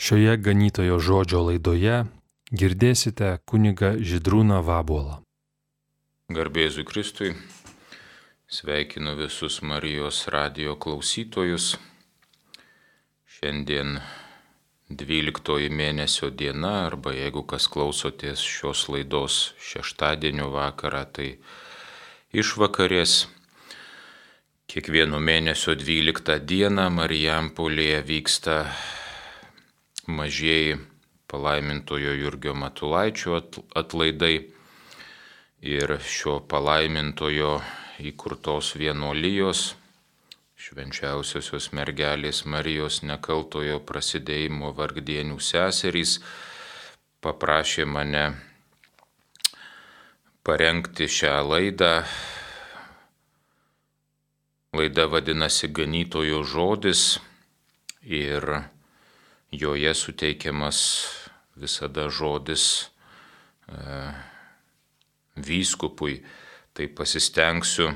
Šioje ganytojo žodžio laidoje girdėsite kunigą Žydrūną Vabuolą. Garbėzu Kristui, sveikinu visus Marijos radijo klausytojus. Šiandien 12 mėnesio diena, arba jeigu kas klausotės šios laidos šeštadienio vakarą, tai išvakarės. Kiekvieno mėnesio 12 dieną Marijampolėje vyksta mažieji palaimintojo Jurgio Matulaičio atlaidai ir šio palaimintojo įkurtos vienuolijos Švenčiausiosios mergelės Marijos nekaltojo prasidėjimo vargdienių seserys paprašė mane parengti šią laidą. Laida vadinasi Ganytojo žodis ir joje suteikiamas visada žodis vyskupui. Tai pasistengsiu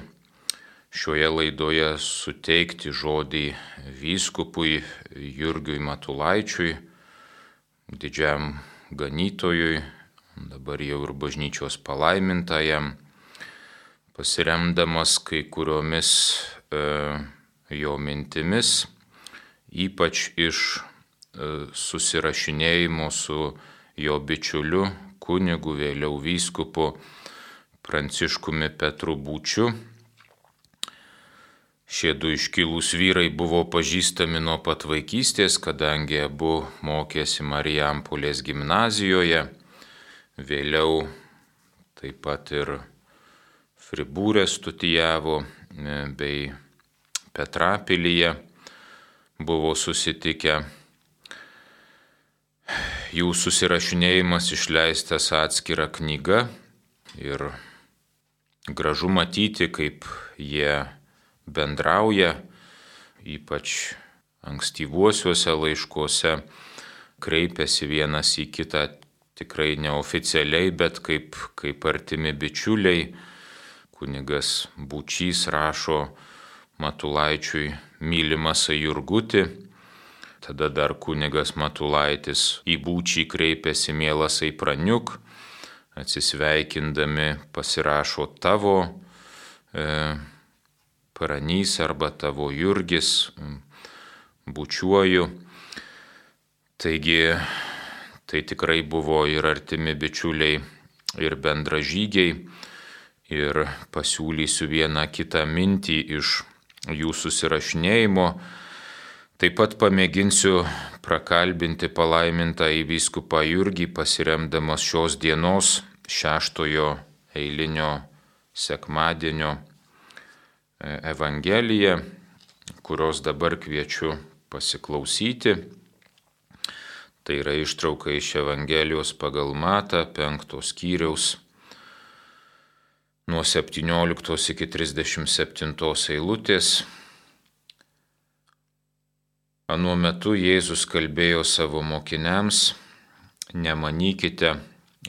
šioje laidoje suteikti žodį vyskupui Jurgiui Matulaičiui, didžiam ganytojui, dabar jau ir bažnyčios palaimintajam, pasiremdamas kai kuriomis jo mintimis, ypač iš susirašinėjimo su jo bičiuliu, kunigu, vėliau vyskupu Pranciškumi Petru Būčiu. Šie du iškilūs vyrai buvo pažįstami nuo pat vaikystės, kadangi abu mokėsi Marijampolės gimnazijoje, vėliau taip pat ir Fribūre studijavo bei Petrapilyje buvo susitikę. Jų susirašinėjimas išleistas atskira knyga ir gražu matyti, kaip jie bendrauja, ypač ankstyvuosiuose laiškuose kreipiasi vienas į kitą tikrai neoficialiai, bet kaip artimi bičiuliai. Kunigas Būčys rašo Matulaičiui mylimas Jurguti, tada dar kunigas Matulaitis į Būčį kreipiasi mielas Praniuk, atsisveikindami pasirašo tavo Pranys arba tavo Jurgis, bučiuoju. Taigi tai tikrai buvo ir artimi bičiuliai, ir bendražygiai. Ir pasiūlysiu vieną kitą mintį iš jų susirašinėjimo. Taip pat pamėginsiu prakalbinti palaimintąjį vyskupą Jurgį, pasiremdamas šios dienos 6 eilinio sekmadienio Evangeliją, kurios dabar kviečiu pasiklausyti. Tai yra ištrauka iš Evangelijos pagal Matą 5 skyriaus nuo 17 iki 37 eilutės. Anuo metu Jėzus kalbėjo savo mokiniams: nemanykite,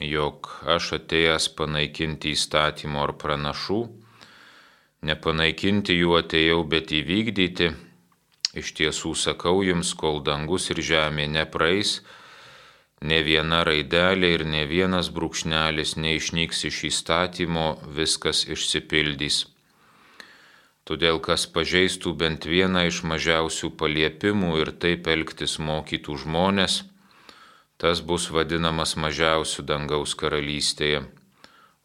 jog aš atėjęs panaikinti įstatymo ar pranašų. Nepanaikinti jų atėjau, bet įvykdyti. Iš tiesų sakau jums, kol dangus ir žemė nepraeis, ne viena raidelė ir ne vienas brūkšnelis neišnyks iš įstatymo, viskas išsipildys. Todėl kas pažeistų bent vieną iš mažiausių paliepimų ir taip elgtis mokytų žmonės, tas bus vadinamas mažiausiu dangaus karalystėje,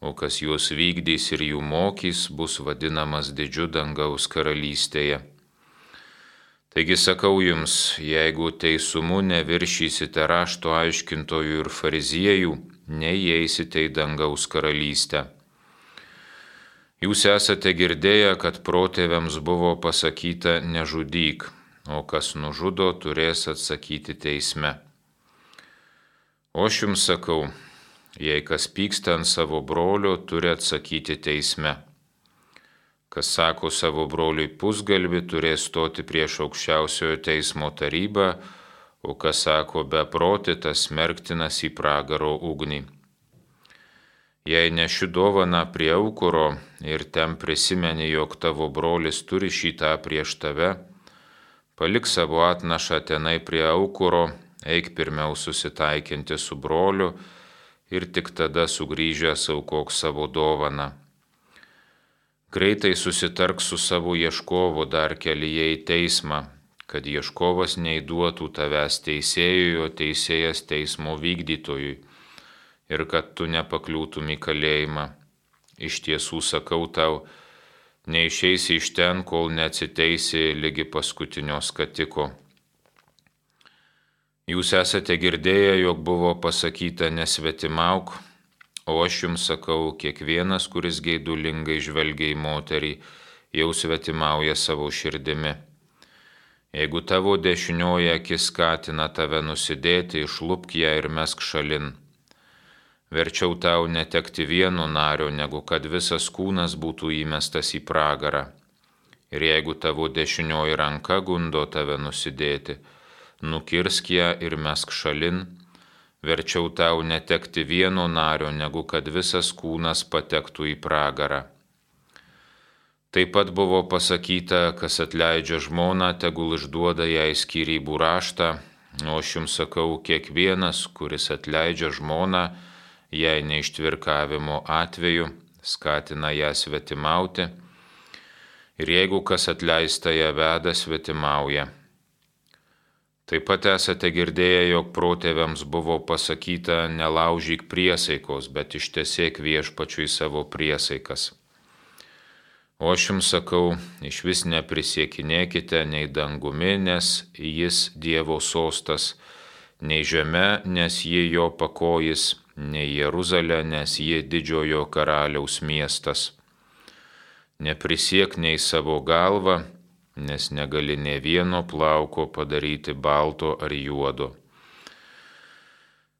o kas juos vykdys ir jų mokys, bus vadinamas didžiu dangaus karalystėje. Taigi sakau jums, jeigu teisumu neviršysite rašto aiškintojų ir fariziejų, neįeisite į dangaus karalystę. Jūs esate girdėję, kad protėviams buvo pasakyta nežudyk, o kas nužudo, turės atsakyti teisme. O aš jums sakau, jei kas pyksta ant savo brolio, turi atsakyti teisme. Kas sako savo broliui pusgalvį, turės stoti prieš aukščiausiojo teismo tarybą, o kas sako beprotį, tas smerktinas į pragaro ugnį. Jei neši dovaną prie aukuro ir ten prisimeni, jog tavo brolis turi šitą prieš tave, palik savo atnašą tenai prie aukuro eik pirmiau susitaikinti su broliu ir tik tada sugrįžęs aukok savo dovaną. Greitai susitark su savo ieškovu dar kelyje į teismą, kad ieškovas neįduotų tavęs teisėjui, o teisėjas teismo vykdytojui, ir kad tu nepakliūtum į kalėjimą. Iš tiesų sakau tau, neišeisi iš ten, kol neatsiteisi ligi paskutinio skatiko. Jūs esate girdėję, jog buvo pasakyta nesvetimauk, o aš jums sakau, kiekvienas, kuris geidulingai žvelgia į moterį, jau svetimauja savo širdimi. Jeigu tavo dešinioji akis skatina tave nusidėti, išlupk ją ir mesk šalin. Verčiau tau netekti vieno nario, negu kad visas kūnas būtų įmestas į pragarą. Ir jeigu tavo dešinioji ranka gundo tave nusidėti, nukirsk ją ir mesk šalin. Verčiau tau netekti vieno nario, negu kad visas kūnas patektų į pragarą. Taip pat buvo pasakyta, kas atleidžia žmoną, tegul išduoda jai skyrybų raštą, o aš jums sakau, kiekvienas, kuris atleidžia žmoną, jei neištvirkavimo atveju, skatina ją svetimauti, ir jeigu kas atleista ją veda, svetimauja. Taip pat esate girdėję, jog protėviams buvo pasakyta, nelaužyk priesaikos, bet ištesėk viešpačiui savo priesaikas. O aš jums sakau, išvis neprisiekinėkite nei dangumi, nes jis Dievo sostas, nei žeme, nes ji jo pakojis, nei Jeruzalė, nes ji didžiojo karaliaus miestas. Neprisiek nei savo galvą, nes negali nė vieno plauko padaryti balto ar juodo.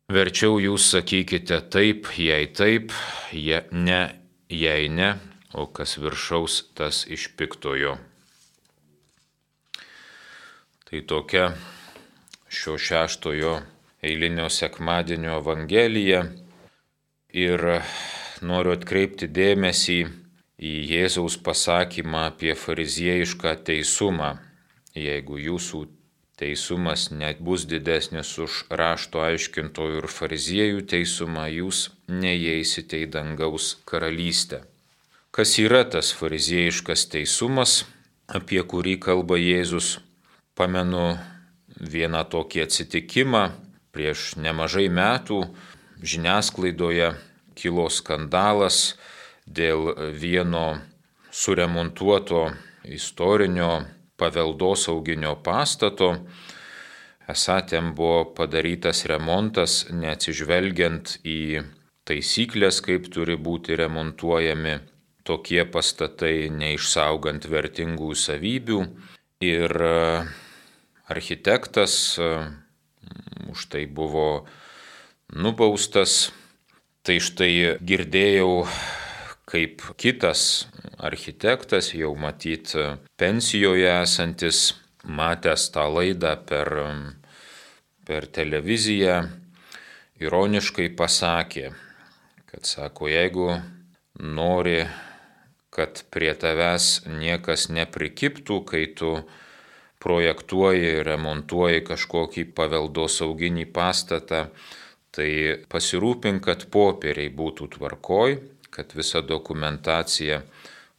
Verčiau jūs sakykite taip, ne, jei ne, o kas viršaus, tas iš piktojo. Tai tokia šio 6 eilinio sekmadienio evangelija, ir noriu atkreipti dėmesį į Jėzaus pasakymą apie fariziejišką teisumą. Jeigu jūsų teisumas net bus didesnis už rašto aiškintojų ir fariziejų teisumą, jūs neįeisite į dangaus karalystę. Kas yra tas fariziejiškas teisumas, apie kurį kalba Jėzus? Pamenu vieną tokį atsitikimą. Prieš nemažai metų žiniasklaidoje kilo skandalas dėl vieno suremontuoto istorinio paveldosauginio pastato. Esą ten buvo padarytas remontas, neatsižvelgiant į taisyklės, kaip turi būti remontuojami tokie pastatai, neišsaugant vertingų savybių. Ir architektas už tai buvo nubaustas. Tai štai girdėjau, kaip kitas architektas, jau matyt pensijoje esantis, matęs tą laidą per televiziją, ironiškai pasakė, kad sako, jeigu nori, kad prie tavęs niekas neprikiptų, kai tu projektuoji, remontuoji kažkokį paveldosauginį pastatą, tai pasirūpink, kad popieriai būtų tvarkoj, kad visa dokumentacija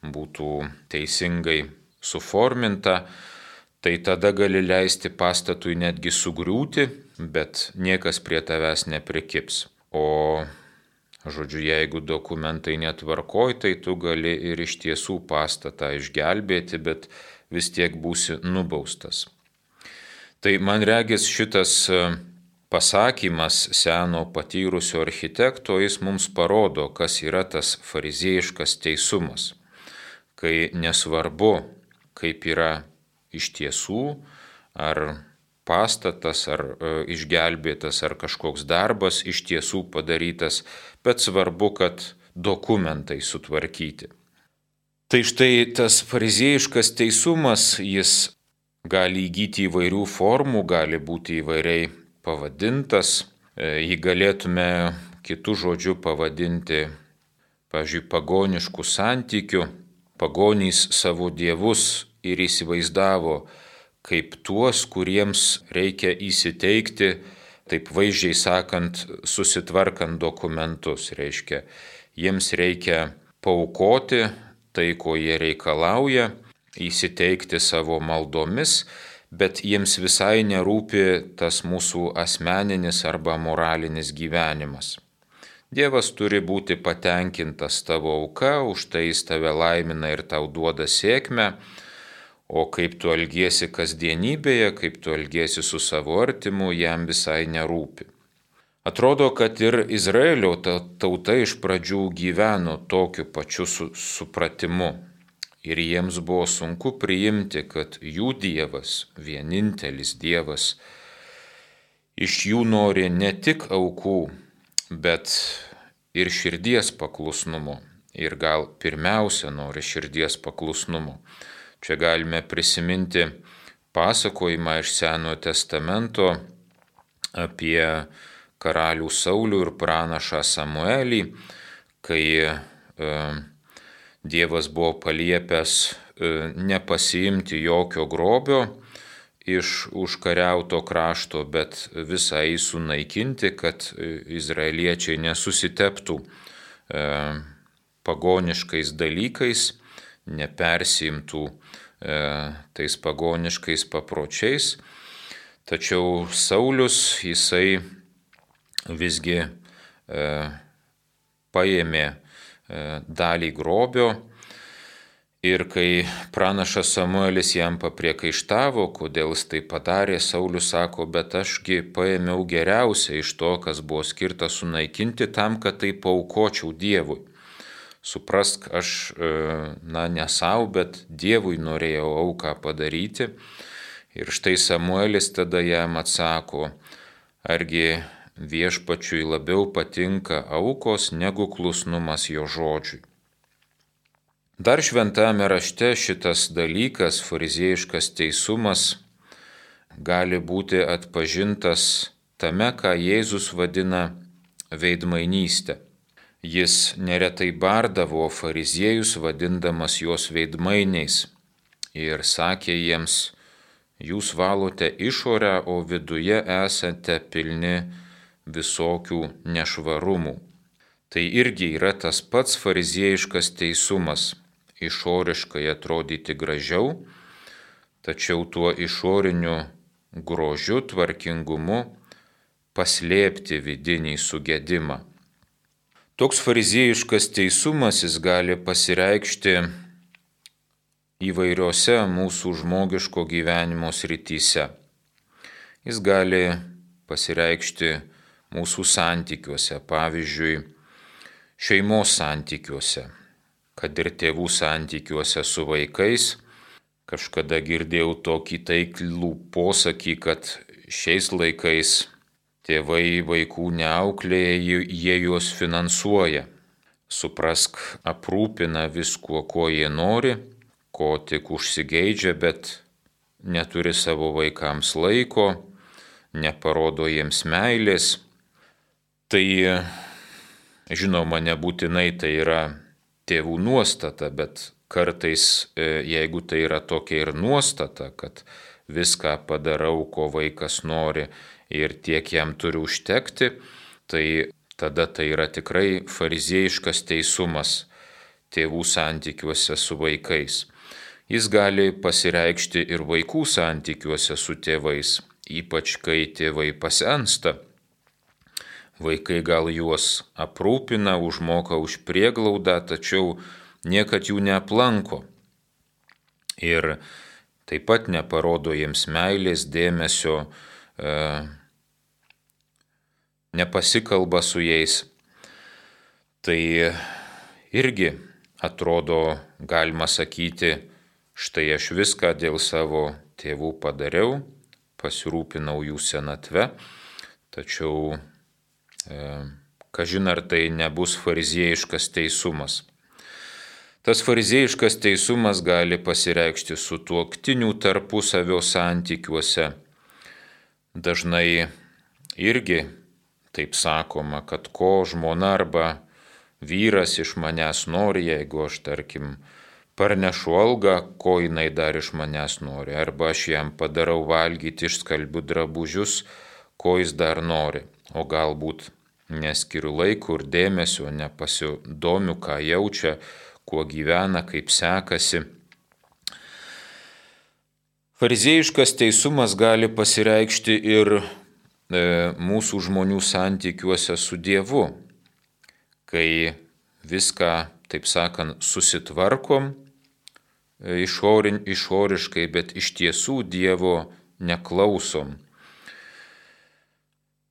būtų teisingai suforminta, tai tada gali leisti pastatui netgi sugriūti, bet niekas prie tavęs neprikips. O žodžiu, jeigu dokumentai netvarkoj, tai tu gali ir iš tiesų pastatą išgelbėti, bet vis tiek būsi nubaustas. Tai man regis šitas pasakymas seno patyrusio architekto, jis mums parodo, kas yra tas fariziejiškas teisumas, kai nesvarbu, kaip yra iš tiesų, ar pastatas, ar išgelbėtas, ar kažkoks darbas iš tiesų padarytas, bet svarbu, kad dokumentai sutvarkyti. Tai štai tas fariziejiškas teisumas, jis gali įgyti įvairių formų, gali būti įvairiai pavadintas. Jį galėtume kitų žodžių pavadinti, pavyzdžiui, pagoniškų santykių. Pagonys savo dievus ir įsivaizdavo kaip tuos, kuriems reikia įsiteikti, taip vaizdžiai sakant, susitvarkant dokumentus. Reiškia, jiems reikia paaukoti tai, ko jie reikalauja, įsiteikti savo maldomis, bet jiems visai nerūpi tas mūsų asmeninis arba moralinis gyvenimas. Dievas turi būti patenkintas tavo auka, už tai jis tave laimina ir tau duoda sėkmę, o kaip tu elgiesi kasdienybėje, kaip tu elgiesi su savo artimu, jam visai nerūpi. Atrodo, kad ir Izraelio tauta iš pradžių gyveno tokiu pačiu supratimu. Ir jiems buvo sunku priimti, kad jų Dievas, vienintelis Dievas, iš jų nori ne tik aukų, bet ir širdies paklusnumo. Ir gal pirmiausia nori širdies paklusnumo. Čia galime prisiminti pasakojimą iš Senojo testamento apie karalių Saulių ir pranašą Samuelį, kai Dievas buvo paliepęs nepasiimti jokio grobio iš užkariauto krašto, bet visą jį sunaikinti, kad izraeliečiai nesusiteptų pagoniškais dalykais, nepersiimtų tais pagoniškais papročiais. Tačiau Saulius, jisai visgi paėmė dalį grobio ir kai pranašas Samuelis jam papriekaištavo, kodėl jis tai padarė, Saulius sako, bet ašgi paėmiau geriausia iš to, kas buvo skirta sunaikinti, tam, kad tai paaukočiau Dievui. Suprask, aš ne savo, bet Dievui norėjau auką padaryti. Ir štai Samuelis tada jam atsako, argi viešpačiui labiau patinka aukos negu klusnumas jo žodžiui. Dar šventame rašte šitas dalykas, fariziejiškas teisumas, gali būti atpažintas tame, ką Jėzus vadina veidmainystė. Jis neretai bardavo fariziejus, vadindamas juos veidmainiais, ir sakė jiems, jūs valote išorę, o viduje esate pilni visokių nešvarumų. Tai irgi yra tas pats fariziejiškas teisumas, išoriškai atrodyti gražiau, tačiau tuo išoriniu grožiu, tvarkingumu paslėpti vidinį sugedimą. Toks fariziejiškas teisumas jis gali pasireikšti įvairiose mūsų žmogiško gyvenimo srityse. Jis gali pasireikšti mūsų santykiuose, pavyzdžiui, šeimos santykiuose, kad ir tėvų santykiuose su vaikais. Kažkada girdėjau tokį taiklų posakį, kad šiais laikais tėvai vaikų neauklėja, jie juos finansuoja. Suprask, aprūpina viskuo, ko jie nori, ko tik užsigeidžia, bet neturi savo vaikams laiko, neparodo jiems meilės. Tai, žinoma, nebūtinai tai yra tėvų nuostata, bet kartais, jeigu tai yra tokia ir nuostata, kad viską padarau, ko vaikas nori ir tiek jam turi užtekti, tai tada tai yra tikrai fariziejiškas teisumas tėvų santykiuose su vaikais. Jis gali pasireikšti ir vaikų santykiuose su tėvais, ypač kai tėvai pasensta. Vaikai gal juos aprūpina, užmoka už prieglaudą, tačiau niekad jų neaplanko. Ir taip pat neparodo jiems meilės, dėmesio, nepasikalba su jais. Tai irgi atrodo, galima sakyti, štai aš viską dėl savo tėvų padariau, pasirūpinau jų senatve, tačiau kažin ar tai nebus fariziejiškas teisumas. Tas fariziejiškas teisumas gali pasireikšti sutuoktinių tarpusavio santykiuose. Dažnai irgi taip sakoma, kad ko žmona arba vyras iš manęs nori, jeigu aš, tarkim, parnešu algą, ko jinai dar iš manęs nori, arba aš jam padarau valgyti, išskalbiu drabužius, ko jis dar nori, o galbūt neskiriu laiko ir dėmesio, nepasidomiu, ką jaučia, kuo gyvena, kaip sekasi. Fariziejiškas teisumas gali pasireikšti ir mūsų žmonių santykiuose su Dievu, kai viską, taip sakant, susitvarkom išoriškai, bet iš tiesų Dievo neklausom.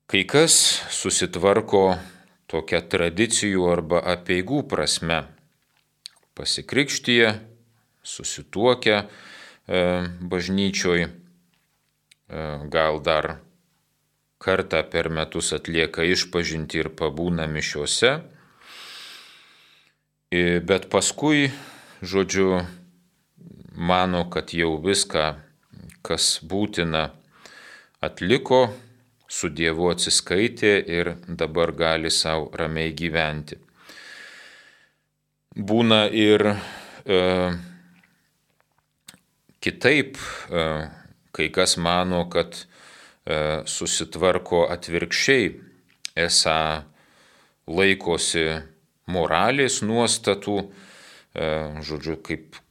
Kai kas susitvarko tokia tradicijų arba apeigų prasme, pasikrikštyje, susituokę bažnyčioj, gal dar kartą per metus atlieka išpažintį ir pabūna mišiose, bet paskui, žodžiu, mano, kad jau viską, kas būtina, atliko, su Dievu atsiskaitė ir dabar gali savo ramiai gyventi. Būna ir kitaip, kai kas mano, kad susitvarko atvirkščiai, esą laikosi moralės nuostatų, žodžiu, kaip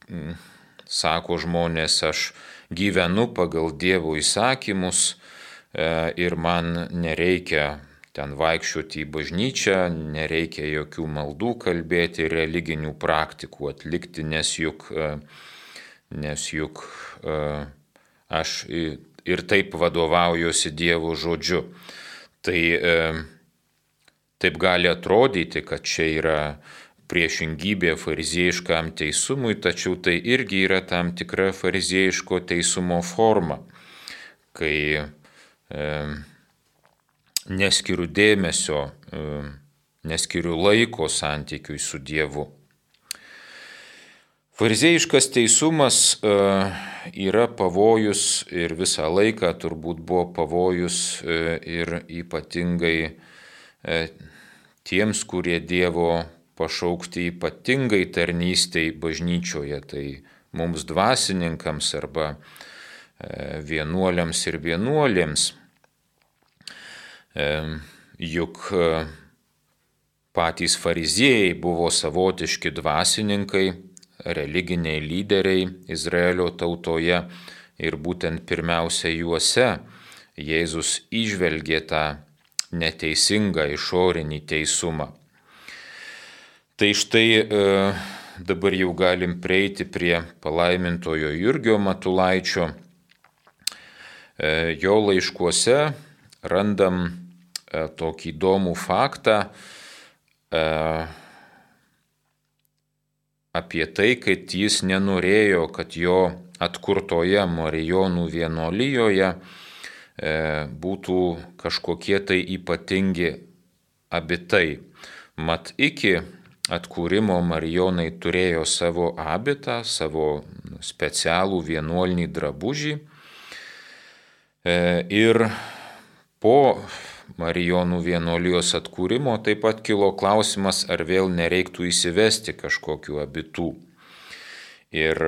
sako žmonės, aš gyvenu pagal Dievo įsakymus, ir man nereikia ten vaikščioti į bažnyčią, nereikia jokių maldų kalbėti, religinių praktikų atlikti, nes juk aš ir taip vadovaujuosi Dievo žodžiu. Tai taip gali atrodyti, kad čia yra priešingybė fariziejiškam teisumui, tačiau tai irgi yra tam tikra fariziejiško teisumo forma, kai neskiriu dėmesio, neskiriu laiko santykiui su Dievu. Fariziejiškas teisumas yra pavojus ir visą laiką turbūt buvo pavojus ir ypatingai tiems, kurie Dievo pašaukti ypatingai tarnystei bažnyčioje, tai mums dvasininkams arba vienuoliams ir vienuolėms. Juk patys fariziejai buvo savotiški dvasininkai, religiniai lyderiai Izraelio tautoje ir būtent pirmiausia juose Jėzus įžvelgė tą neteisingą išorinį teisumą. Tai štai dabar jau galim prieiti prie palaimintojo Jurgio Matulaičio. Jo laiškuose randam tokį įdomų faktą apie tai, kad jis nenorėjo, kad jo atkurtoje Marijonų vienuolijoje būtų kažkokie tai ypatingi abitai. Mat iki atkūrimo Marijonai turėjo savo abitą, savo specialų vienuolinį drabužį. Ir po Marijonų vienuolijos atkūrimo taip pat kilo klausimas, ar vėl nereiktų įsivesti kažkokių abitų. Ir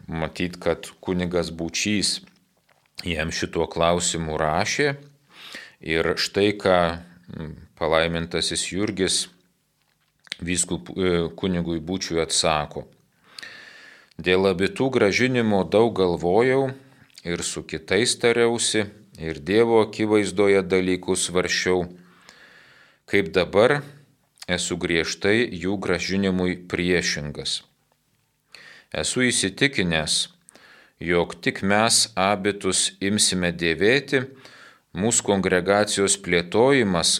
matyt, kad kunigas Būčys jam šituo klausimu rašė. Ir štai ką palaimintasis Jurgis kunigui Būčiui atsako. Dėl abitų gražinimo daug galvojau ir su kitais tariausi, ir Dievo akivaizdoje dalykus svarsčiau, kaip dabar esu griežtai jų gražinimui priešingas. Esu įsitikinęs, jog tik mes abitus imsime dėvėti, mūsų kongregacijos plėtojimas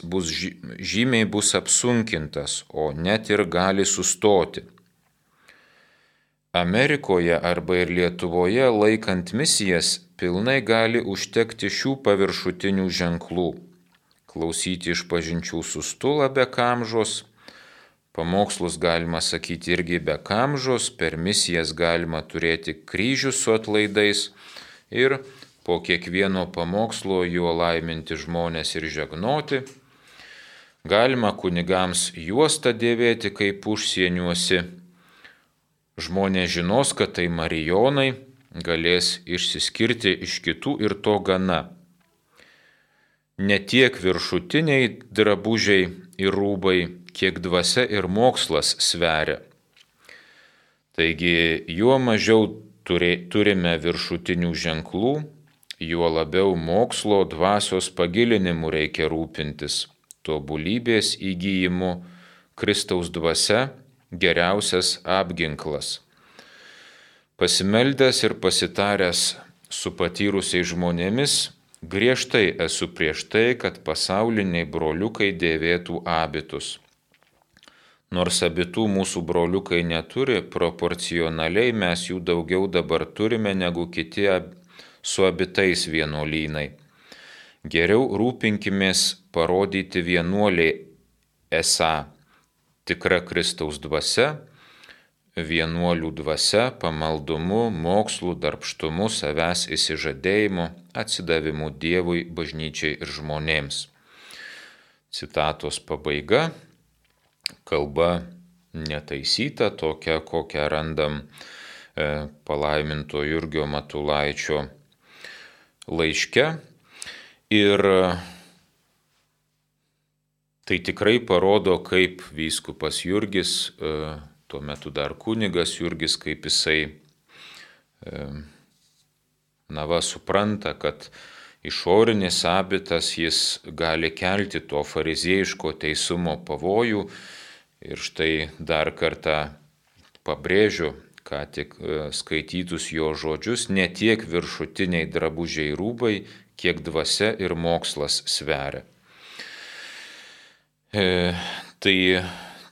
žymiai bus apsunkintas, o net ir gali sustoti. Amerikoje arba ir Lietuvoje laikant misijas pilnai gali užtekti šių paviršutinių ženklų. Klausyti išpažinčių su stula be kamžos, pamokslus galima sakyti irgi be kamžos, per misijas galima turėti kryžių su atlaidais ir po kiekvieno pamokslo juo laiminti žmonės ir žegnoti. Galima kunigams juostą dėvėti kaip užsieniuosi, žmonės žinos, kad tai marijonai, galės išsiskirti iš kitų ir to gana. Ne tiek viršutiniai drabužiai ir rūbai, kiek dvasia ir mokslas sveria. Taigi, juo mažiau turime viršutinių ženklų, juo labiau mokslo dvasios pagilinimu reikia rūpintis, tobulybės įgyjimu, Kristaus dvasia geriausias apginklas. Pasimeldęs ir pasitaręs su patyrusiais žmonėmis, griežtai esu prieš tai, kad pasauliniai broliukai dėvėtų abitus. Nors abitų mūsų broliukai neturi, proporcionaliai mes jų daugiau dabar turime negu kiti su abitais vienuolynai. Geriau rūpinkimės parodyti vienuoliai esą tikra Kristaus dvasia, vienuolių dvasia, pamaldumu, mokslu, darbštumu, savęs išsižadėjimu, atsidavimu Dievui, bažnyčiai ir žmonėms. Citatos pabaiga. Kalba netaisyta, tokia, kokią randam palaiminto Jurgio Matulaičio laiške. Ir tai tikrai parodo, kaip vyskupas Jurgis, tuo metu dar kunigas Jurgis, kaip jisai supranta, kad išorinis abitas jis gali kelti to fariziejiško teisumo pavojų. Ir štai dar kartą pabrėžiu, ką tik skaitytus jo žodžius, ne tiek viršutiniai drabužiai rūbai, kiek dvasia ir mokslas sveria. Tai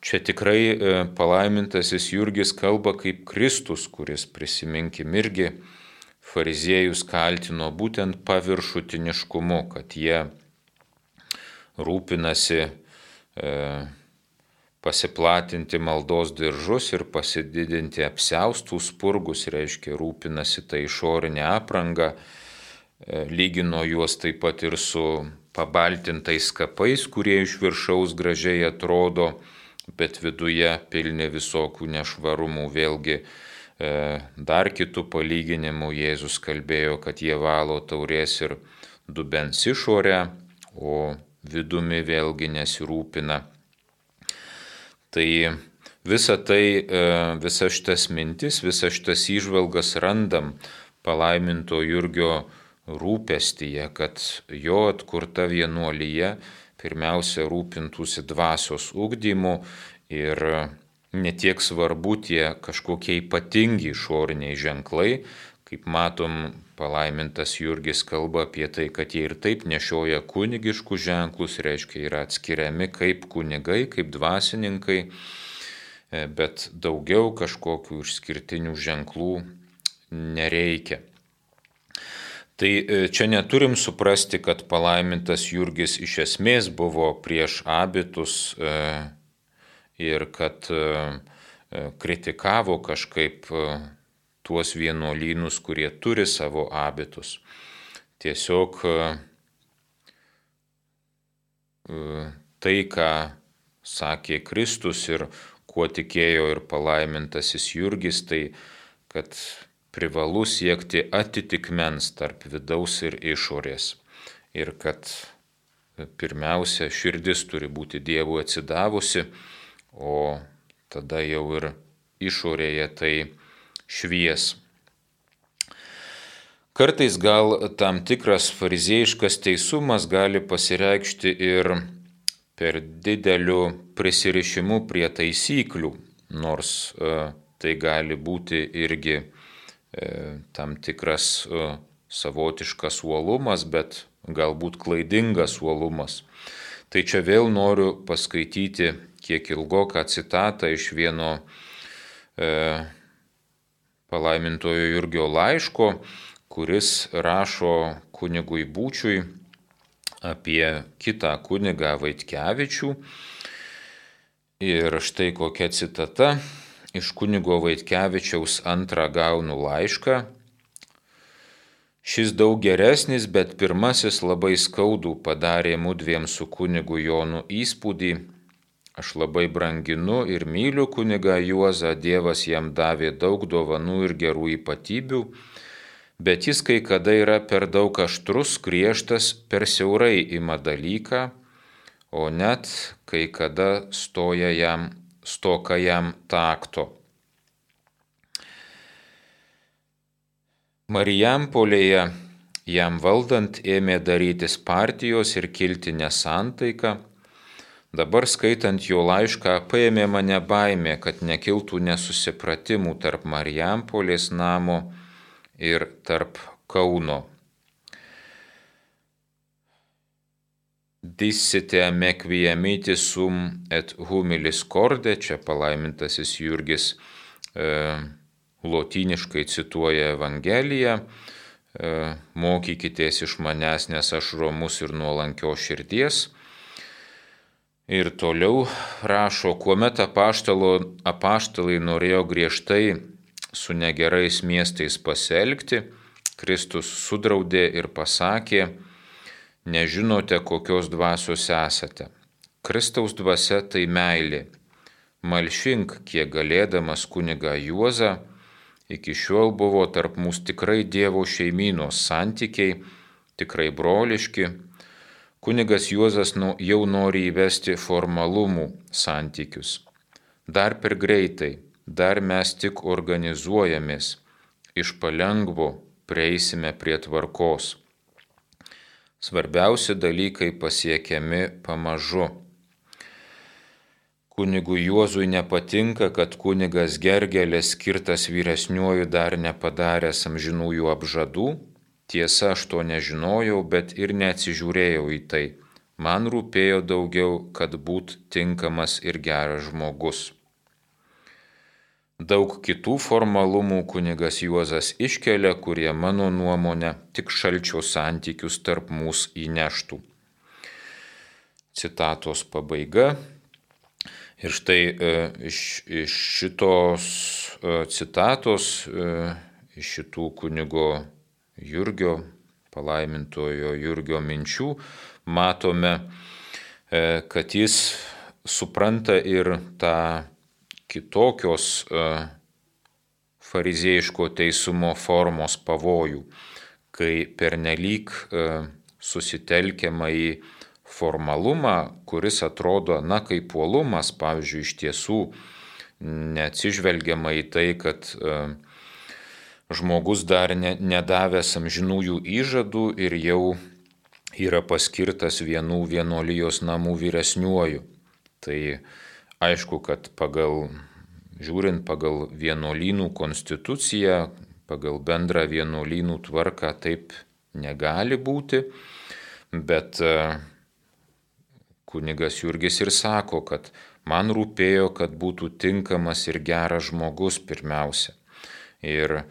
čia tikrai palaimintasis Jurgis kalba kaip Kristus, kuris, prisiminkim, irgi fariziejus kaltino būtent paviršutiniškumu, kad jie rūpinasi pasiplatinti maldos diržus ir pasididinti apsiaustų spurgus, reiškia rūpinasi tą išorinę aprangą, lygino juos taip pat ir su pabaltintais kapais, kurie iš viršaus gražiai atrodo, bet viduje pilni visokių nešvarumų. Vėlgi dar kitų palyginimų Jėzus kalbėjo, kad jie valo taurės ir dubens išorę, o vidumi vėlgi nesirūpina. Tai visas šitas mintis, visas šitas įžvalgas randam palaiminto Jurgio rūpestyje, kad jo atkurta vienuolija pirmiausia rūpintųsi dvasios ugdymu ir netiek svarbu tie kažkokie ypatingi išoriniai ženklai. Kaip matom, palaimintas Jurgis kalba apie tai, kad jie ir taip nešioja kunigiškus ženklus, reiškia yra atskiriami kaip kunigai, kaip dvasininkai, bet daugiau kažkokių išskirtinių ženklų nereikia. Tai čia neturim suprasti, kad palaimintas Jurgis iš esmės buvo prieš abitus ir kad kritikavo kažkaip tuos vienuolynus, kurie turi savo abitus. Tiesiog tai, ką sakė Kristus ir kuo tikėjo ir palaimintasis Jurgis, tai kad privalu siekti atitikmens tarp vidaus ir išorės. Ir kad pirmiausia širdis turi būti Dievui atsidavusi, o tada jau ir išorėje tai švies. Kartais gal tam tikras fariziejiškas teisumas gali pasireikšti ir per dideliu prisirišimu prie taisyklių, nors tai gali būti irgi tam tikras savotiškas uolumas, bet galbūt klaidingas uolumas. Tai čia vėl noriu paskaityti kiek ilgoką citatą iš vieno palaimintojo Jurgio laiško, kuris rašo kunigui Būčiui apie kitą kunigą Vaitkevičių. Ir štai kokia citata iš kunigo Vaitkevičiaus antrą gaunu laišką. Šis daug geresnis, bet pirmasis labai skaudų padarė mudviem su kunigu Jonu įspūdį. Aš labai branginu ir myliu kunigą Juozą, Dievas jam davė daug dovanų ir gerų ypatybių, bet jis kai kada yra per daug aštrus, griežtas, per siaurai ima dalyką, o net kai kada stoka jam takto. Marijampolėje jam valdant ėmė darytis partijos ir kilti nesantaika. Dabar skaitant jo laišką paėmė mane baimė, kad nekiltų nesusipratimų tarp Marijampolės namo ir tarp Kauno. Dissite me quiamiti sum et humilis corde, čia palaimintasis Jurgis lotyniškai cituoja Evangeliją, mokykitės iš manęs, nes aš romus ir nuolankios širdies. Ir toliau rašo, kuomet apaštalai norėjo griežtai su negerais miestais pasielgti, Kristus sudraudė ir pasakė, nežinote, kokios dvasios esate. Kristaus dvasia tai meilė. Malšink, kiek galėdamas kunigą Juozą, iki šiol buvo tarp mūsų tikrai Dievo šeimynos santykiai, tikrai broliški. Kunigas Juozas jau nori įvesti formalumų santykius. Dar per greitai, dar mes tik organizuojamės, iš palengvo prieisime prie tvarkos. Svarbiausi dalykai pasiekiami pamažu. Kunigui Juozui nepatinka, kad kunigas Gergelis skirtas vyresniuoju dar nepadaręs amžinųjų apžadų. Tiesa, aš to nežinojau, bet ir neatsižiūrėjau į tai. Man rūpėjo daugiau, kad būt tinkamas ir geras žmogus. Daug kitų formalumų kunigas Juozas iškelia, kurie mano nuomonė tik šalčio santykius tarp mūsų įneštų. Citatos pabaiga. Ir štai iš šitos citatos, iš šitų kunigo Jurgio, palaimintojo Jurgio minčių, matome, kad jis supranta ir tą kitokios fariziejiško teisumo formos pavojų, kai pernelyg susitelkiama į formalumą, kuris atrodo, kaip puolumas, pavyzdžiui, iš tiesų neatsižvelgiama į tai, kad žmogus dar nedavęs amžinųjų įžadų ir jau yra paskirtas vienų vienuolijos namų vyresniuoju. Tai aišku, kad žiūrint pagal vienuolynų konstituciją, pagal bendrą vienuolynų tvarką taip negali būti, bet kunigas Jurgis ir sako, kad man rūpėjo, kad būtų tinkamas ir geras žmogus pirmiausia. Ir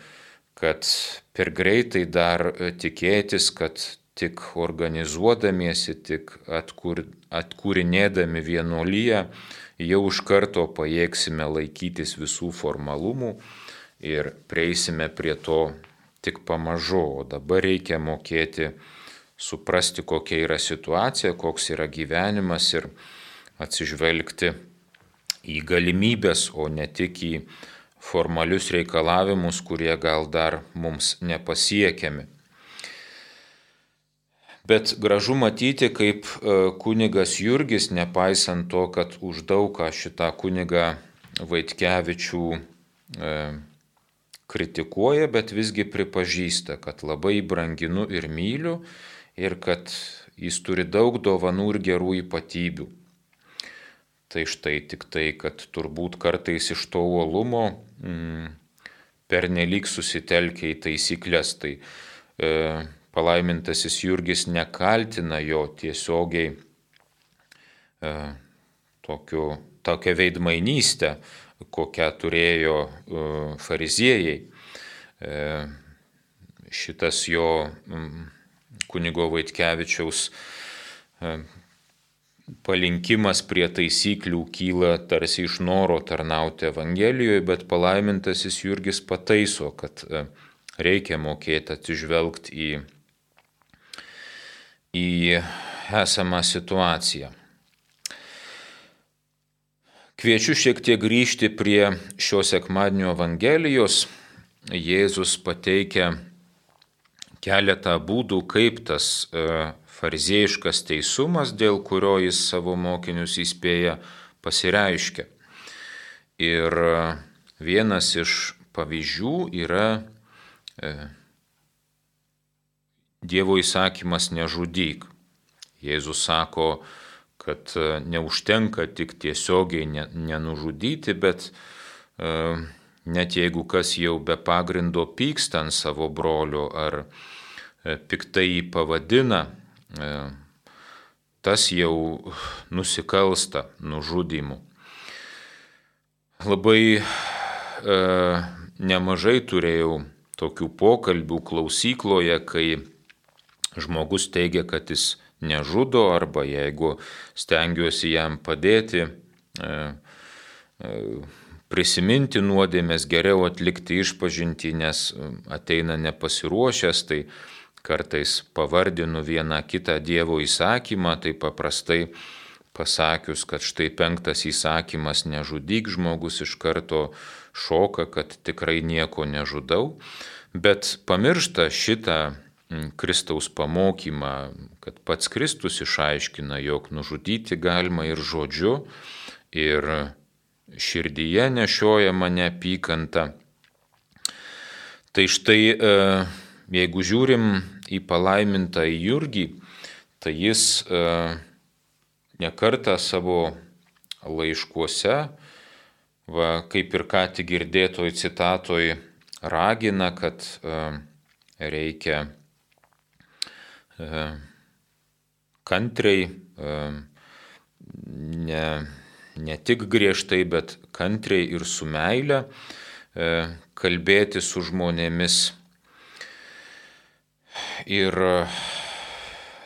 kad per greitai dar tikėtis, kad tik organizuodamiesi, tik atkūrinėdami vienuoliją, jau iš karto pajėgsime laikytis visų formalumų ir prieisime prie to tik pamažu. O dabar reikia mokėti suprasti, kokia yra situacija, koks yra gyvenimas ir atsižvelgti į galimybės, o ne tik į formalius reikalavimus, kurie gal dar mums nepasiekiami. Bet gražu matyti, kaip kunigas Jurgis, nepaisant to, kad už daug ką šitą kunigą Vaitkevičių kritikuoja, bet visgi pripažįsta, kad labai branginu ir myliu ir kad jis turi daug dovanų ir gerų ypatybių. Tai štai tik tai, kad turbūt kartais iš to uolumo pernelyg susitelkia į taisyklės. Tai palaimintasis Jurgis nekaltina jo tiesiogiai tokią veidmainystę, kokią turėjo fariziejai. Šitas jo kunigo Vaitkevičiaus palinkimas prie taisyklių kyla tarsi iš noro tarnauti Evangelijoje, bet palaimintasis Jurgis pataiso, kad reikia mokėti atsižvelgti į esamą situaciją. Kviečiu šiek tiek grįžti prie šio sekmadienio Evangelijos. Jėzus pateikia keletą būdų, kaip tas fariziejiškas teisumas, dėl kurio jis savo mokinius įspėja, pasireiškia. Ir vienas iš pavyzdžių yra Dievo įsakymas nežudyk. Jėzus sako, kad neužtenka tik tiesiogiai nenužudyti, bet net jeigu kas jau be pagrindo pyksta ant savo brolio ar piktai jį pavadina, tas jau nusikalsta nužudymu. Labai nemažai turėjau tokių pokalbių klausykloje, kai žmogus teigia, kad jis nežudo, arba jeigu stengiuosi jam padėti prisiminti nuodėmės, geriau atlikti išpažintį, nes ateina nepasiruošęs, tai kartais pavardinu vieną kitą Dievo įsakymą, tai paprastai pasakius, kad štai 5 įsakymas nežudyk, žmogus iš karto šoka, kad tikrai nieko nežudau, bet pamiršta šitą Kristaus pamokymą, kad pats Kristus išaiškina, jog nužudyti galima ir žodžiu, ir širdyje nešiojama neapykanta. Tai štai, jeigu žiūrim į palaimintą Jurgį, tai jis nekartą savo laiškuose, kaip ir ką tik girdėtoj citatoj, ragina, kad reikia kantriai, ne tik griežtai, bet kantriai ir su meile kalbėti su žmonėmis ir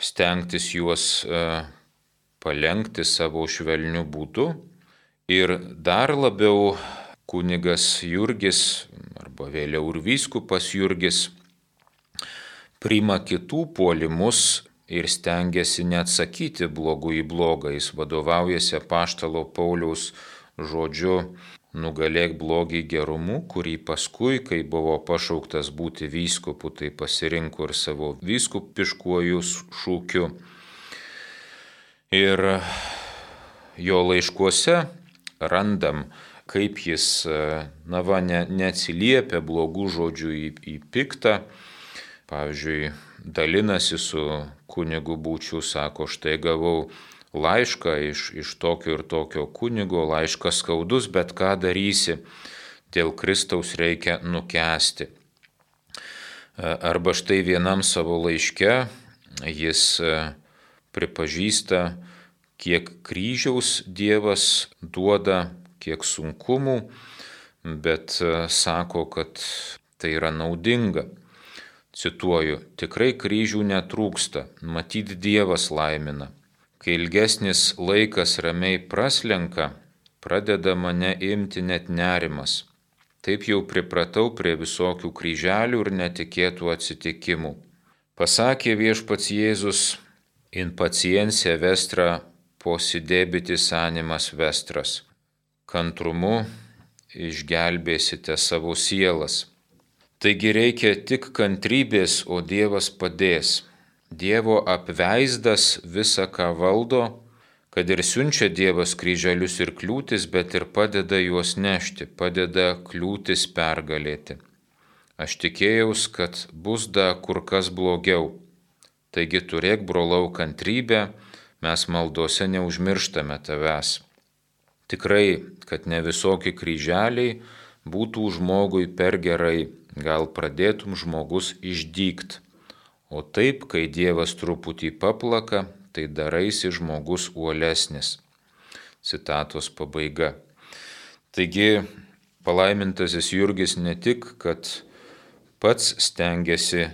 stengtis juos palenkti savo švelniu būdu. Ir dar labiau kunigas Jurgis, arba vėliau ir vyskupas Jurgis, priima kitų puolimus ir stengiasi neatsakyti blogu į blogą. Jis vadovaujasi apaštalo Pauliaus žodžiu nugalėk blogį gerumu, kurį paskui, kai buvo pašauktas būti vyskupu, tai pasirinko ir savo vyskupiškuoju šūkiu. Ir jo laiškuose randam, kaip jis neatsiliepia blogų žodžių į piktą. Pavyzdžiui, dalinasi su kunigu Būčiu, sako, štai gavau laišką iš tokio ir tokio kunigo, laiškas skaudus, bet ką darysi, dėl Kristaus reikia nukęsti. Arba štai vienam savo laiške jis pripažįsta, kiek kryžiaus Dievas duoda, kiek sunkumų, bet sako, kad tai yra naudinga. Cituoju, tikrai kryžių netrūksta, matyt Dievas laimina. Kai ilgesnis laikas ramiai praslenka, pradeda mane imti net nerimas. Taip jau pripratau prie visokių kryželių ir netikėtų atsitikimų. Pasakė viešpats Jėzus, in pacientia vestra posidebitis animas vestras. Kantrumu išgelbėsite savo sielas. Taigi reikia tik kantrybės, o Dievas padės. Dievo apveizdas visa, ką valdo, kad ir siunčia Dievas kryželius ir kliūtis, bet ir padeda juos nešti, padeda kliūtis pergalėti. Aš tikėjaus, kad bus da kur kas blogiau. Taigi turėk, brolau, kantrybę, mes maldose neužmirštame tavęs. Tikrai, kad ne visokie kryželiai būtų žmogui per gerai, gal pradėtum žmogus išdygt. O taip, kai Dievas truputį paplaka, tai daraisi žmogus uolesnis. Citatos pabaiga. Taigi, palaimintasis Jurgis ne tik, kad pats stengiasi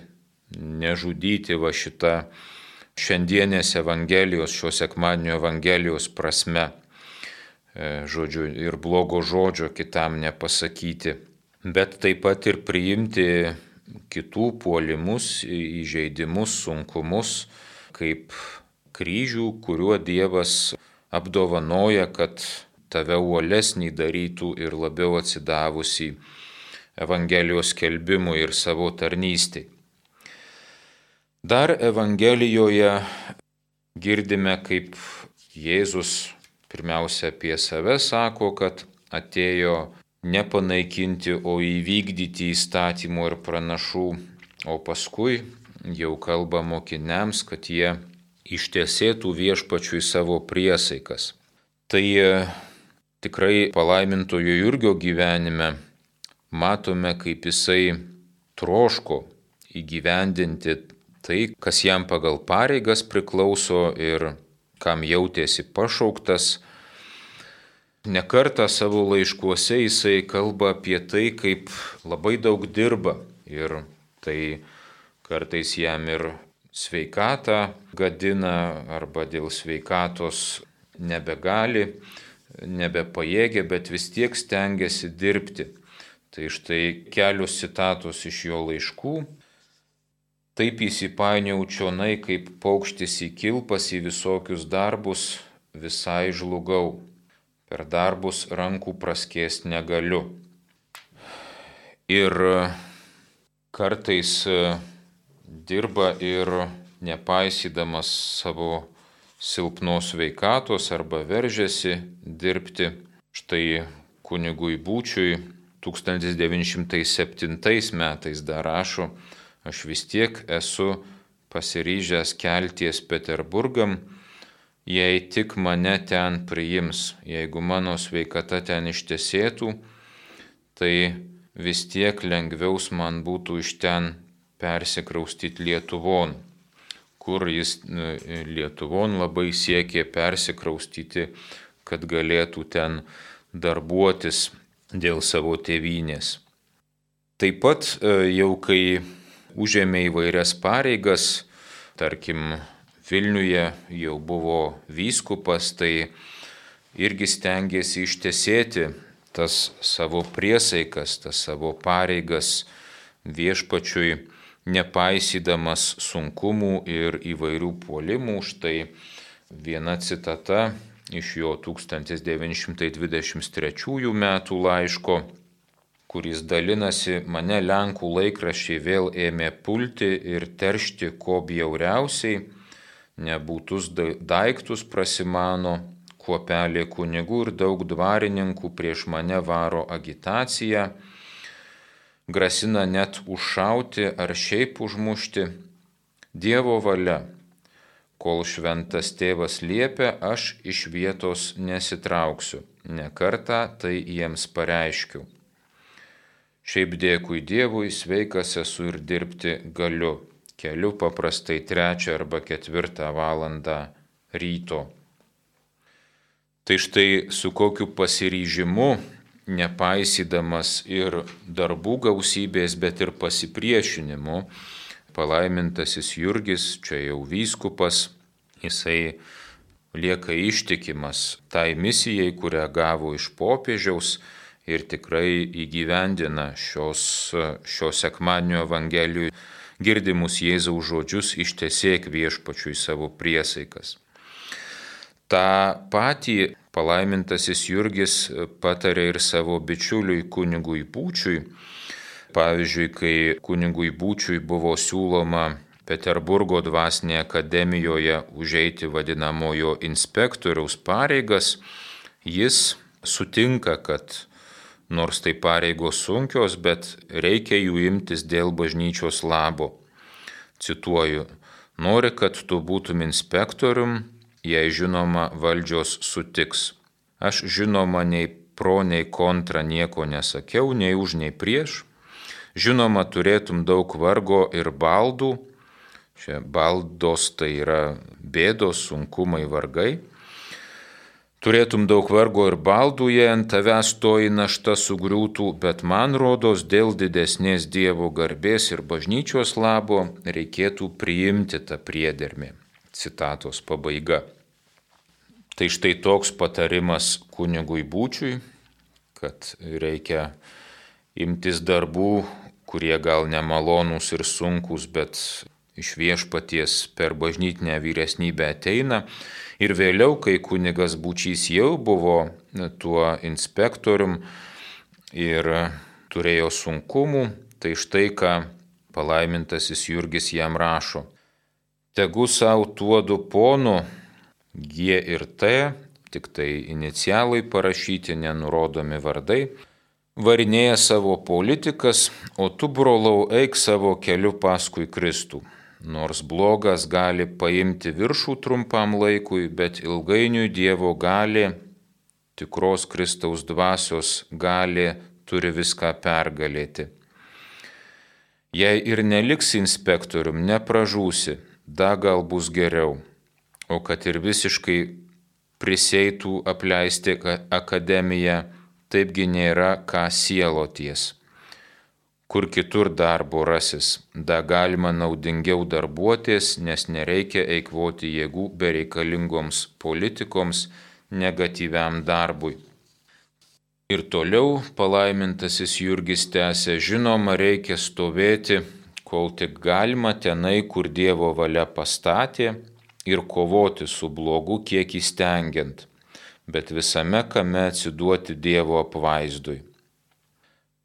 nežudyti va šitą šiandienės Evangelijos, šio sekmadienio Evangelijos prasme, žodžiu, ir blogo žodžio kitam nepasakyti, bet taip pat ir priimti kitų puolimus, įžeidimus, sunkumus, kaip kryžių, kuriuo Dievas apdovanoja, kad tave uolesnį darytų ir labiau atsidavusį Evangelijos skelbimui ir savo tarnystei. Dar Evangelijoje girdime, kaip Jėzus pirmiausia apie save sako, kad atėjo nepanaikinti, o įvykdyti įstatymų ir pranašų, o paskui jau kalba mokiniams, kad jie ištesėtų viešpačiui savo priesaikas. Tai tikrai palaimintojo Jurgio gyvenime matome, kaip jisai troško įgyvendinti tai, kas jam pagal pareigas priklauso ir kam jautėsi pašauktas. Ne kartą savo laiškuose jisai kalba apie tai, kaip labai daug dirba ir tai kartais jam ir sveikatą gadina arba dėl sveikatos nebegali, nebepajėgia, bet vis tiek stengiasi dirbti. Tai štai kelios citatos iš jo laiškų. Taip įsipainiau čionai, kaip paukštis į kilpas į visokius darbus, visai žlugau. Per darbus rankų praskėst negaliu. Ir kartais dirba ir nepaisydamas savo silpnos sveikatos arba veržiasi dirbti. Štai kunigui Būčiui 1907 metais dar rašo: aš vis tiek esu pasiryžęs kelties Peterburgam, jei tik mane ten priims. Jeigu mano sveikata ten ištesėtų, tai vis tiek lengviaus man būtų iš ten persikraustyti Lietuvon, kur jis Lietuvon labai siekė persikraustyti, kad galėtų ten darbuotis dėl savo tėvynės. Taip pat jau kai užėmė įvairias pareigas, tarkim, Vilniuje jau buvo vyskupas, tai irgi stengėsi ištesėti tas savo priesaikas, tas savo pareigas viešpačiui, nepaisydamas sunkumų ir įvairių puolimų. Štai viena citata iš jo 1923 metų laiško, kuris dalinasi: mane Lenkų laikraščiai vėl ėmė pulti ir teršti ko bjauriausiai, nebūtus daiktus prasimano, kuopelė kunigų ir daug dvarininkų prieš mane varo agitaciją, grasina net užšauti ar šiaip užmušti. Dievo valia, kol šventas tėvas liepia, aš iš vietos nesitrauksiu, ne kartą tai jiems pareiškiu. Šiaip dėkui Dievui, sveikas esu ir dirbti galiu. Keliu paprastai 3 arba 4 valandą ryto. Tai štai su kokiu pasiryžimu, nepaisydamas ir darbų gausybės, bet ir pasipriešinimu, palaimintasis Jurgis, čia jau vyskupas, jisai lieka ištikimas tai misijai, kurią gavo iš popiežiaus ir tikrai įgyvendina šio sekmadienio Evangelijų girdimus Jėzaus žodžius: ištesėk viešpačiui savo priesaikas. Ta patį palaimintasis Jurgis patarė ir savo bičiuliui kunigui Būčiui. Pavyzdžiui, kai kunigui Būčiui buvo siūloma Peterburgo dvasinėje akademijoje užeiti vadinamojo inspektoriaus pareigas, jis sutinka, kad nors tai pareigos sunkios, bet reikia jų imtis dėl bažnyčios labo. Cituoju: nori, kad tu būtum inspektorium, jei žinoma valdžios sutiks. Aš žinoma nei pro, nei kontra nieko nesakiau, nei už, nei prieš. Žinoma, turėtum daug vargo ir baldų. Čia baldos tai yra bėdos, sunkumai, vargai. Turėtum daug vargo ir baldų, jei ant tavęs toji našta sugriūtų, bet man rodos, dėl didesnės Dievo garbės ir bažnyčios labo reikėtų priimti tą priedermę. Citatos pabaiga. Tai štai toks patarimas kunigui Būčiui, kad reikia imtis darbų, kurie gal nemalonūs ir sunkus, bet iš viešpaties per bažnytinę vyresnybę ateina. Ir vėliau, kai kunigas Būčys jau buvo tuo inspektorium ir turėjo sunkumų, tai štai ką palaimintasis Jurgis jam rašo. Tegu savo tuodu ponu G ir T, tik tai inicialai parašyti, nenurodomi vardai, varinėja savo politikas, o tu, brolau, eik savo keliu paskui Kristų. Nors blogas gali paimti viršų trumpam laikui, bet ilgainiui Dievo gali, tikros Kristaus dvasios gali, turi viską pergalėti. Jei ir neliks inspektorium, nepražūsi, da gal bus geriau, o kad ir visiškai priseitų apleisti akademiją, taipgi nėra ką sieloties. Kur kitur darbo rasis, da galima naudingiau darbuotis, nes nereikia eikvoti jėgų bereikalingoms politikoms, negatyviam darbui. Ir toliau palaimintasis Jurgis tęsė, žinoma, reikia stovėti, kol tik galima tenai, kur Dievo valia pastatė, ir kovoti su blogu kiek įstengiant, bet visame kame atsiduoti Dievo apvaizdui.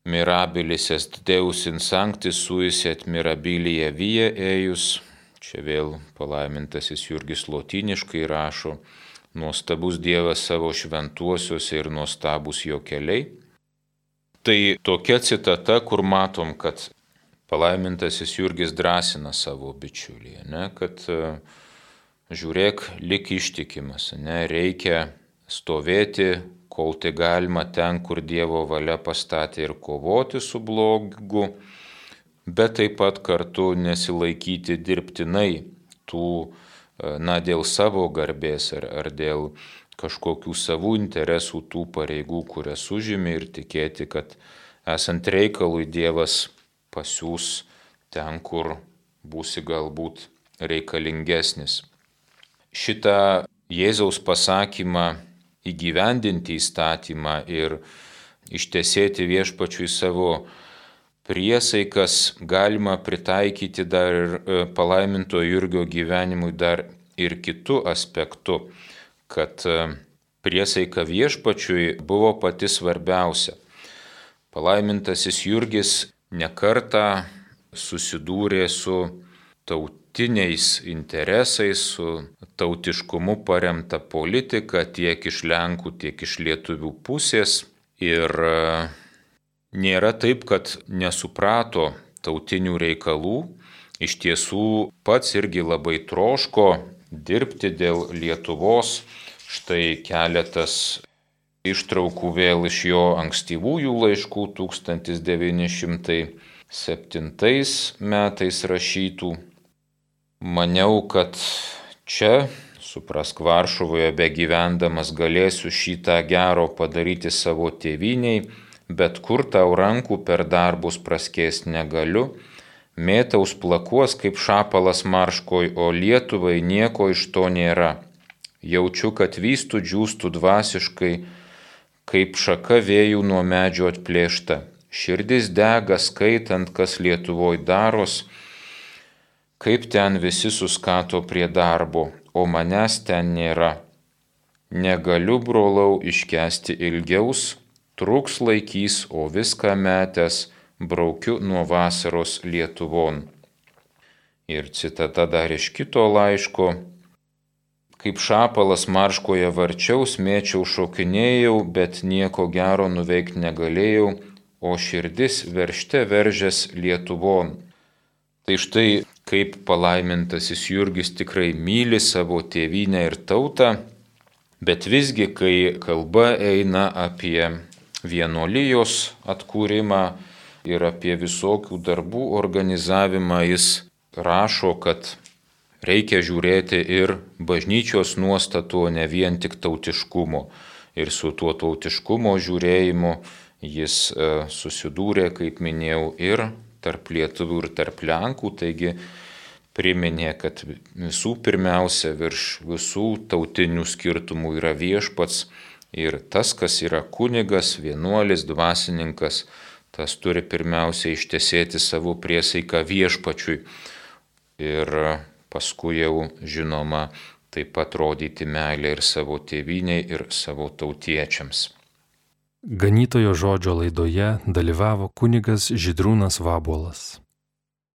Mirabilis est Deus in sanctis suis et mirabilia via eius. Čia vėl palaimintasis Jurgis lotyniškai rašo, nuostabus Dievas savo šventuosiuose ir nuostabus jo keliai. Tai tokia citata, kur matom, kad palaimintasis Jurgis drąsina savo bičiulį, kad žiūrėk, lik ištikimas, reikia stovėti, kol tai galima ten, kur Dievo valia pastatė, ir kovoti su blogu, bet taip pat kartu nesilaikyti dirbtinai tų, dėl savo garbės ar dėl kažkokių savų interesų tų pareigų, kurias užimi, ir tikėti, kad esant reikalui Dievas pasiūs ten, kur būsi galbūt reikalingesnis. Šitą Jėzaus pasakymą įgyvendinti įstatymą ir ištesėti viešpačiui savo priesaikas galima pritaikyti dar ir palaiminto Jurgio gyvenimui dar ir kitu aspektu, kad priesaika viešpačiui buvo pati svarbiausia. Palaimintasis Jurgis nekartą susidūrė su tautiniais interesais, su tautiškumu paremta politika tiek iš Lenkų, tiek iš lietuvių pusės. Ir nėra taip, kad nesuprato tautinių reikalų. Iš tiesų pats irgi labai troško dirbti dėl Lietuvos. Štai keletas ištraukų vėl iš jo ankstyvųjų laiškų 1907 metais rašytų. Maniau, kad čia, suprask, Varšuvoje begyvendamas galėsiu šitą gero padaryti savo tėvyniai, bet kur tau rankų per darbus praskėst negaliu, mėtaus plakuos kaip šapalas marškoj, o Lietuvai nieko iš to nėra. Jaučiu, kad vystų džiūstų dvasiškai, kaip šaka vėjų nuo medžio atplėšta. Širdis dega skaitant, kas Lietuvoj daros, kaip ten visi suskato prie darbo, o manęs ten nėra. Negaliu, brolau, iškęsti ilgiaus, truks laikys, o viską metęs braukiu nuo vasaros Lietuvon. Ir citata dar iš kito laiško. Kaip šapalas marškoje varčiaus, mėčiau, šokinėjau, bet nieko gero nuveikti negalėjau, o širdis veržte veržės Lietuvon. Tai štai kaip palaimintasis Jurgis tikrai myli savo tėvynę ir tautą, bet visgi, kai kalba eina apie vienuolijos atkūrimą ir apie visokių darbų organizavimą, jis rašo, kad reikia žiūrėti ir bažnyčios nuostatų, ne vien tik tautiškumo. Ir su tuo tautiškumo žiūrėjimu jis susidūrė, kaip minėjau, ir tarp lietuvių ir tarp Lenkų, taigi priminė, kad visų pirmiausia virš visų tautinių skirtumų yra viešpats ir tas, kas yra kunigas, vienuolis, dvasininkas, tas turi pirmiausia ištesėti savo priesaiką viešpačiui, ir paskui jau žinoma taip pat rodyti meilę ir savo tėvynei, ir savo tautiečiams. Ganytojo žodžio laidoje dalyvavo kunigas Žydrūnas Vabuolas.